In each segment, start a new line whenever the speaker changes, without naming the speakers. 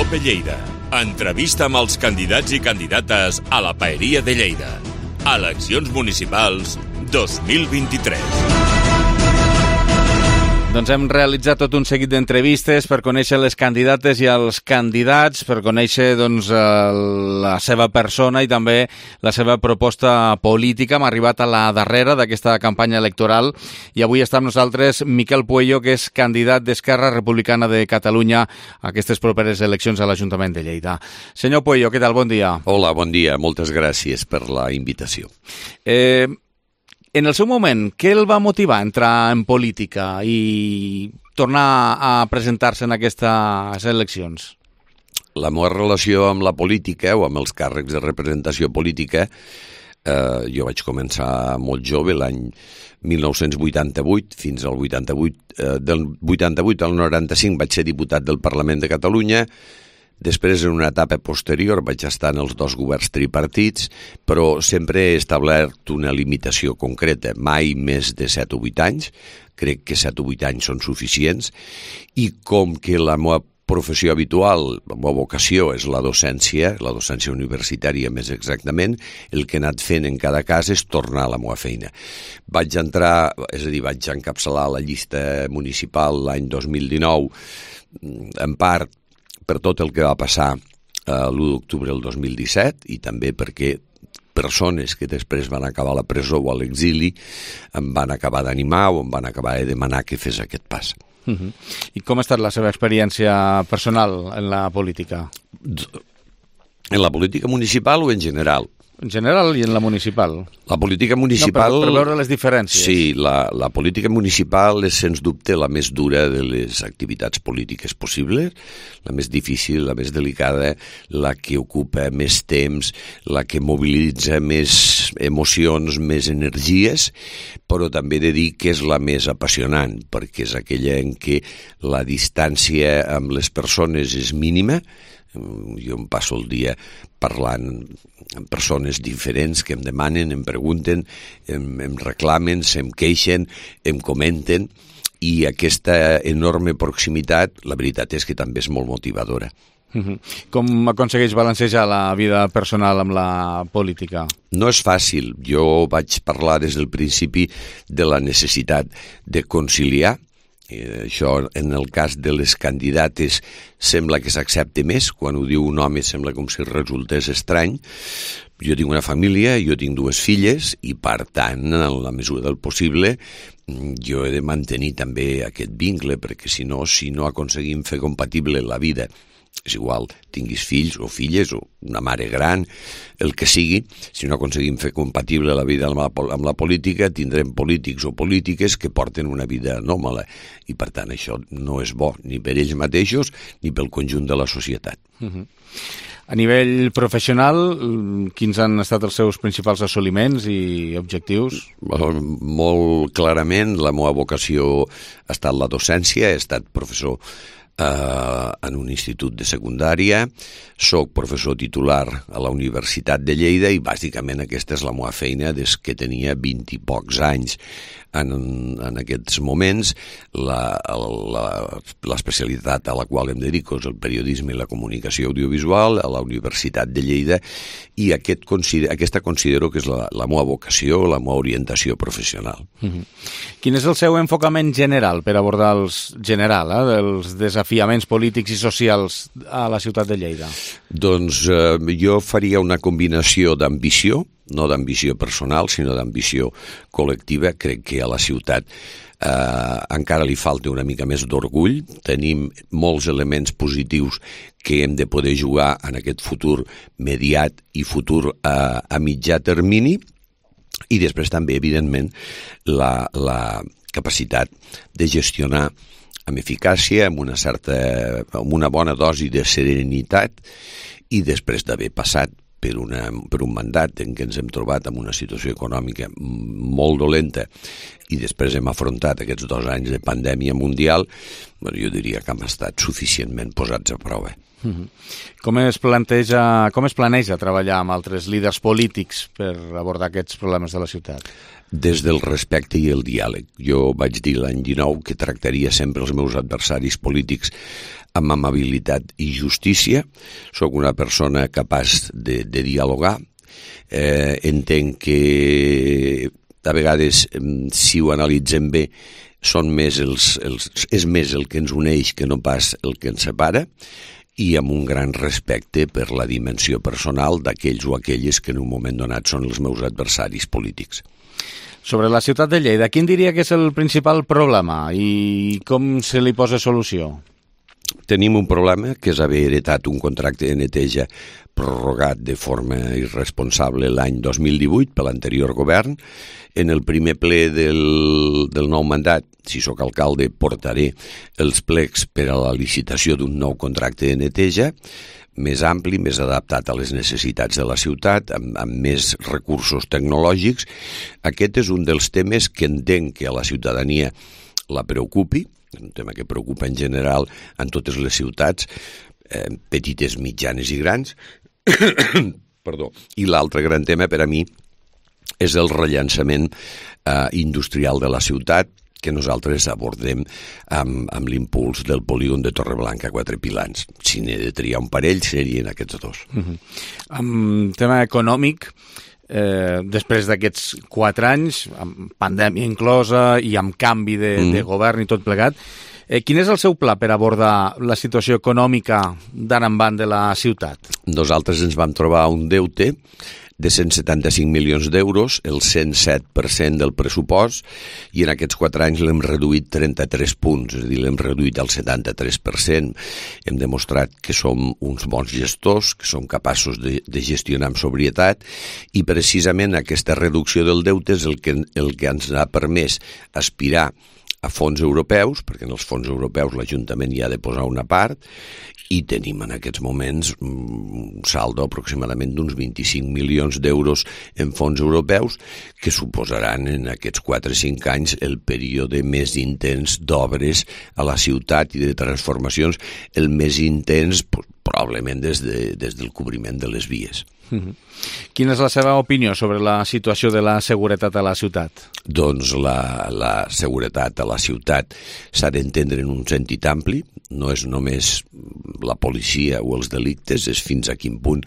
OPE Lleida. Entrevista amb els candidats i candidates a la Paeria de Lleida. Eleccions municipals 2023.
Doncs hem realitzat tot un seguit d'entrevistes per conèixer les candidates i els candidats, per conèixer la seva persona i també la seva proposta política. Hem arribat a la darrera d'aquesta campanya electoral i avui està amb nosaltres Miquel Puello, que és candidat d'Esquerra Republicana de Catalunya a aquestes properes eleccions a l'Ajuntament de Lleida. Senyor Puello, què tal? Bon dia.
Hola, bon dia. Moltes gràcies per la invitació.
En el seu moment, què el va motivar a entrar en política i tornar a presentar-se en aquestes eleccions?
La meva relació amb la política o amb els càrrecs de representació política, jo vaig començar molt jove, l'any 1988, fins al 88, del 88 al 95 vaig ser diputat del Parlament de Catalunya. Després, en una etapa posterior, vaig estar en els dos governs tripartits, però sempre he establert una limitació concreta, mai més de 7 o 8 anys. Crec que 7 o 8 anys són suficients. I com que la meva professió habitual, la meva vocació és la docència universitària més exactament, el que he anat fent en cada cas és tornar a la meva feina. Vaig entrar, és a dir, vaig encapçalar la llista municipal l'any 2019, en part per tot el que va passar l'1 d'octubre del 2017 i també perquè persones que després van acabar a la presó o a l'exili em van acabar d'animar o em van acabar de demanar que fes aquest pas.
I com ha estat la seva experiència personal en la política?
En la política municipal o en general?
En general i en la municipal.
La política municipal...
No, per veure les diferències.
Sí, la política municipal és, sens dubte, la més dura de les activitats polítiques possibles, la més difícil, la més delicada, la que ocupa més temps, la que mobilitza més emocions, més energies, però també he de dir que és la més apassionant, perquè és aquella en què la distància amb les persones és mínima. Jo em passo el dia parlant amb persones diferents que em demanen, em pregunten, em reclamen, se'm queixen, em comenten, i aquesta enorme proximitat, la veritat és que també és molt motivadora.
Com aconsegueix balancejar la vida personal amb la política?
No és fàcil. Jo vaig parlar des del principi de la necessitat de conciliar. Això, en el cas de les candidates, sembla que s'accepta més. Quan ho diu un home sembla com si resultés estrany. Jo tinc una família, jo tinc 2 filles i, per tant, en la mesura del possible, jo he de mantenir també aquest vincle, perquè si no aconseguim fer compatible la vida, és igual, tinguis fills o filles o una mare gran, el que sigui, si no aconseguim fer compatible la vida amb la política, tindrem polítics o polítiques que porten una vida anòmala i, per tant, això no és bo ni per ells mateixos ni pel conjunt de la societat.
A nivell professional, quins han estat els seus principals assoliments i objectius?
Molt clarament, la meva vocació ha estat la docència, he estat professor en un institut de secundària, soc professor titular a la Universitat de Lleida i bàsicament aquesta és la meva feina des que tenia 20 i pocs anys. En aquests moments l'especialitat a la qual em dedico és el periodisme i la comunicació audiovisual a la Universitat de Lleida i aquesta considero que és la meva vocació, la meva orientació professional.
Quin és el seu enfocament general per abordar els desafiaments polítics i socials a la ciutat de Lleida?
Doncs jo faria una combinació d'ambició, no d'ambició personal, sinó d'ambició col·lectiva. Crec que a la ciutat encara li falta una mica més d'orgull. Tenim molts elements positius que hem de poder jugar en aquest futur mediat i futur a mitjà termini. I després també, evidentment, la capacitat de gestionar amb eficàcia, amb una bona dosi de serenitat i després d'haver passat per un mandat en què ens hem trobat en una situació econòmica molt dolenta i després hem afrontat aquests 2 anys de pandèmia mundial, jo diria que hem estat suficientment posats a prova.
Com es planeja treballar amb altres líders polítics per abordar aquests problemes de la ciutat?
Des del respecte i el diàleg. Jo vaig dir l'any 19 que tractaria sempre els meus adversaris polítics amb amabilitat i justícia. Soc una persona capaç de dialogar. Entenc que a vegades, si ho analitzem bé, és més el que ens uneix que no pas el que ens separa, i amb un gran respecte per la dimensió personal d'aquells o aquelles que en un moment donat són els meus adversaris polítics.
Sobre la ciutat de Lleida, quin diria que és el principal problema i com se li posa solució?
Tenim un problema, que és haver heretat un contracte de neteja prorrogat de forma irresponsable l'any 2018 per l'anterior govern. En el primer ple del nou mandat, si sóc alcalde, portaré els plecs per a la licitació d'un nou contracte de neteja, més ampli, més adaptat a les necessitats de la ciutat, amb més recursos tecnològics. Aquest és un dels temes que entenc que a la ciutadania la preocupi, un tema que preocupa en general en totes les ciutats, petites, mitjanes i grans. Perdó. I l'altre gran tema per a mi és el rellançament industrial de la ciutat, que nosaltres abordem amb l'impuls del polígon de Torreblanca a Quatre Pilans. Si n'he de triar un parell, serien aquests dos.
Amb tema econòmic, després d'aquests 4 anys, amb pandèmia inclosa i amb canvi de govern i tot plegat, quin és el seu pla per abordar la situació econòmica d'ara endavant de la ciutat?
Nosaltres ens vam trobar un deute de 175 milions d'euros, el 107% del pressupost, i en aquests 4 anys l'hem reduït 33 punts, és a dir, l'hem reduït al 73%. Hem demostrat que som uns bons gestors, que som capaços de gestionar amb sobrietat, i precisament aquesta reducció del deute és el que ens ha permès aspirar a fons europeus, perquè en els fons europeus l'Ajuntament hi ha de posar una part, i tenim en aquests moments un saldo aproximadament d'uns 25 milions d'euros en fons europeus, que suposaran en aquests 4 o 5 anys el període més intens d'obres a la ciutat i de transformacions, el més intens probablement des del cobriment de les vies.
Quina és la seva opinió sobre la situació de la seguretat a la ciutat?
Doncs la seguretat a la ciutat s'ha d'entendre en un sentit ampli, no és només la policia o els delictes, és fins a quin punt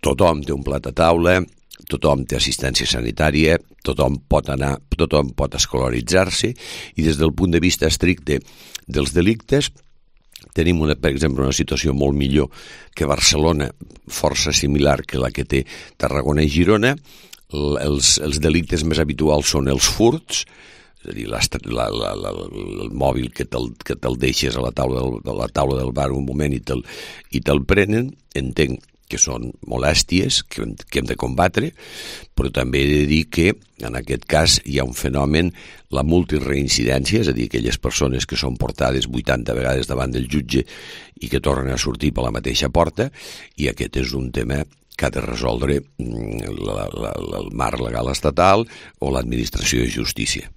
tothom té un plat a taula, tothom té assistència sanitària, tothom pot escolaritzar-se, i des del punt de vista estricte dels delictes tenim, per exemple, una situació molt millor que Barcelona, força similar que la que té Tarragona i Girona. Els delictes més habituals són els furts, és a dir, el mòbil que te'l deixes a la taula del bar un moment i te'l prenen. Entenc que són molèsties que hem de combatre, però també he de dir que en aquest cas hi ha un fenomen, la multireincidència, és a dir, aquelles persones que són portades 80 vegades davant del jutge i que tornen a sortir per la mateixa porta, i aquest és un tema que ha de resoldre el marc legal estatal o l'administració de justícia.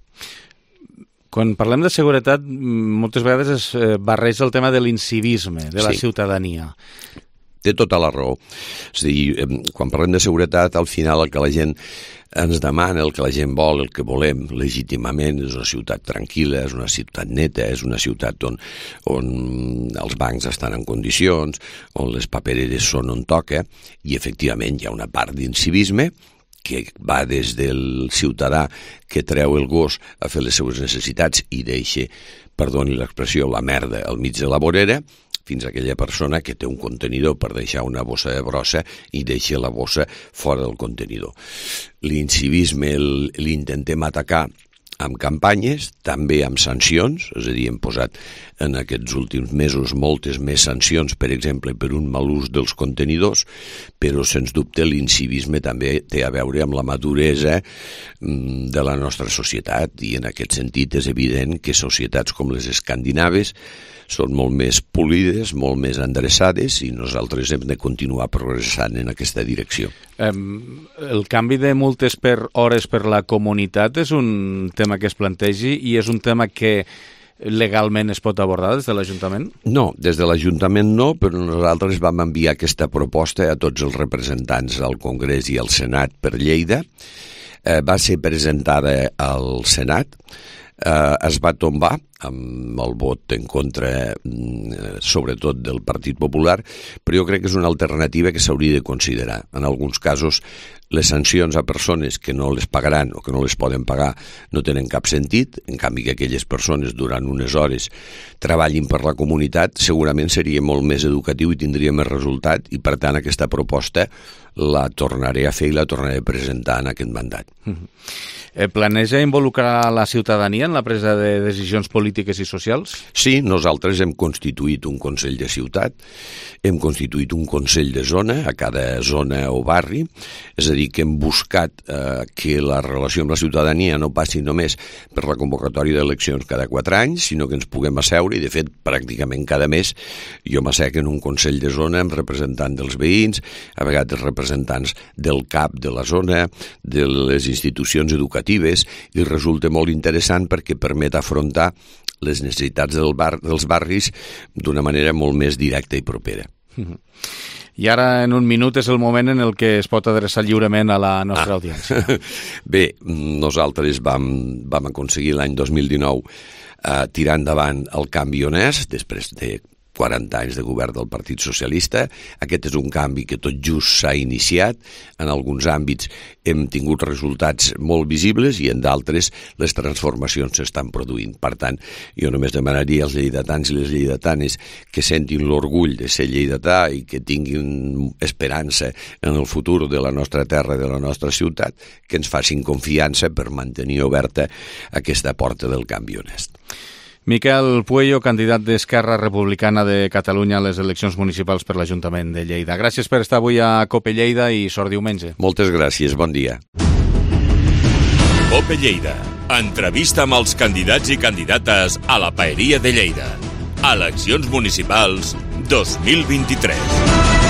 Quan parlem de seguretat, moltes vegades es barreja el tema de l'incivisme, de la ciutadania.
Té tota la raó. És a dir, quan parlem de seguretat, al final el que la gent ens demana, el que la gent vol, el que volem legítimament és una ciutat tranquil·la, és una ciutat neta, és una ciutat on els bancs estan en condicions, on les papereres són on toca, i efectivament hi ha una part d'incivisme que va des del ciutadà que treu el gos a fer les seues necessitats i deixa, perdoni l'expressió, la merda al mig de la vorera, fins a aquella persona que té un contenidor per deixar una bossa de brossa i deixa la bossa fora del contenidor. L'incivisme l'intentem atacar amb campanyes, també amb sancions, és a dir, hem posat en aquests últims mesos moltes més sancions, per exemple, per un mal ús dels contenidors, però, sens dubte, l'incivisme també té a veure amb la maduresa de la nostra societat, i en aquest sentit és evident que societats com les escandinaves són molt més polides, molt més endreçades, i nosaltres hem de continuar progressant en aquesta direcció.
El canvi de multes per hores per la comunitat és un tema que es plantegi i és un tema que legalment es pot abordar des de l'Ajuntament?
No, des de l'Ajuntament no, però nosaltres vam enviar aquesta proposta a tots els representants al Congrés i al Senat per Lleida. Va ser presentada al Senat, es va tombar amb el vot en contra, sobretot del Partit Popular, però jo crec que és una alternativa que s'hauria de considerar. En alguns casos, les sancions a persones que no les pagaran o que no les poden pagar no tenen cap sentit, en canvi que aquelles persones durant unes hores treballin per la comunitat, segurament seria molt més educatiu i tindria més resultat, i per tant aquesta proposta la tornaré a fer i la tornaré a presentar en aquest mandat.
Planeja involucrar la ciutadania en la presa de decisions polítiques i socials?
Sí, nosaltres hem constituït un Consell de Ciutat, hem constituït un Consell de Zona a cada zona o barri, és a dir, que hem buscat que la relació amb la ciutadania no passi només per la convocatòria d'eleccions cada 4 anys, sinó que ens puguem asseure, i de fet pràcticament cada mes jo m'assec en un Consell de Zona amb representants dels veïns, a vegades representants del CAP de la zona, de les institucions educatives, i resulta molt interessant perquè permet afrontar les necessitats dels barris d'una manera molt més directa i propera.
I ara, en un minut, és el moment en el que es pot adreçar lliurement a la nostra audiència.
Bé, nosaltres vam aconseguir l'any 2019 tirar endavant el canvi honest, després de 40 anys de govern del Partit Socialista. Aquest és un canvi que tot just s'ha iniciat. En alguns àmbits hem tingut resultats molt visibles i en d'altres les transformacions s'estan produint. Per tant, jo només demanaria als lleidatans i les lleidatanes que sentin l'orgull de ser lleidatà i que tinguin esperança en el futur de la nostra terra i de la nostra ciutat, que ens facin confiança per mantenir oberta aquesta porta del canvi honest.
Miquel Puello, candidat d'Esquerra Republicana de Catalunya a les eleccions municipals per l'Ajuntament de Lleida. Gràcies per estar avui a COPE Lleida i sort diumenge.
Moltes gràcies, bon dia.
COPE Lleida. Entrevista amb els candidats i candidates a la Paeria de Lleida. Eleccions municipals 2023.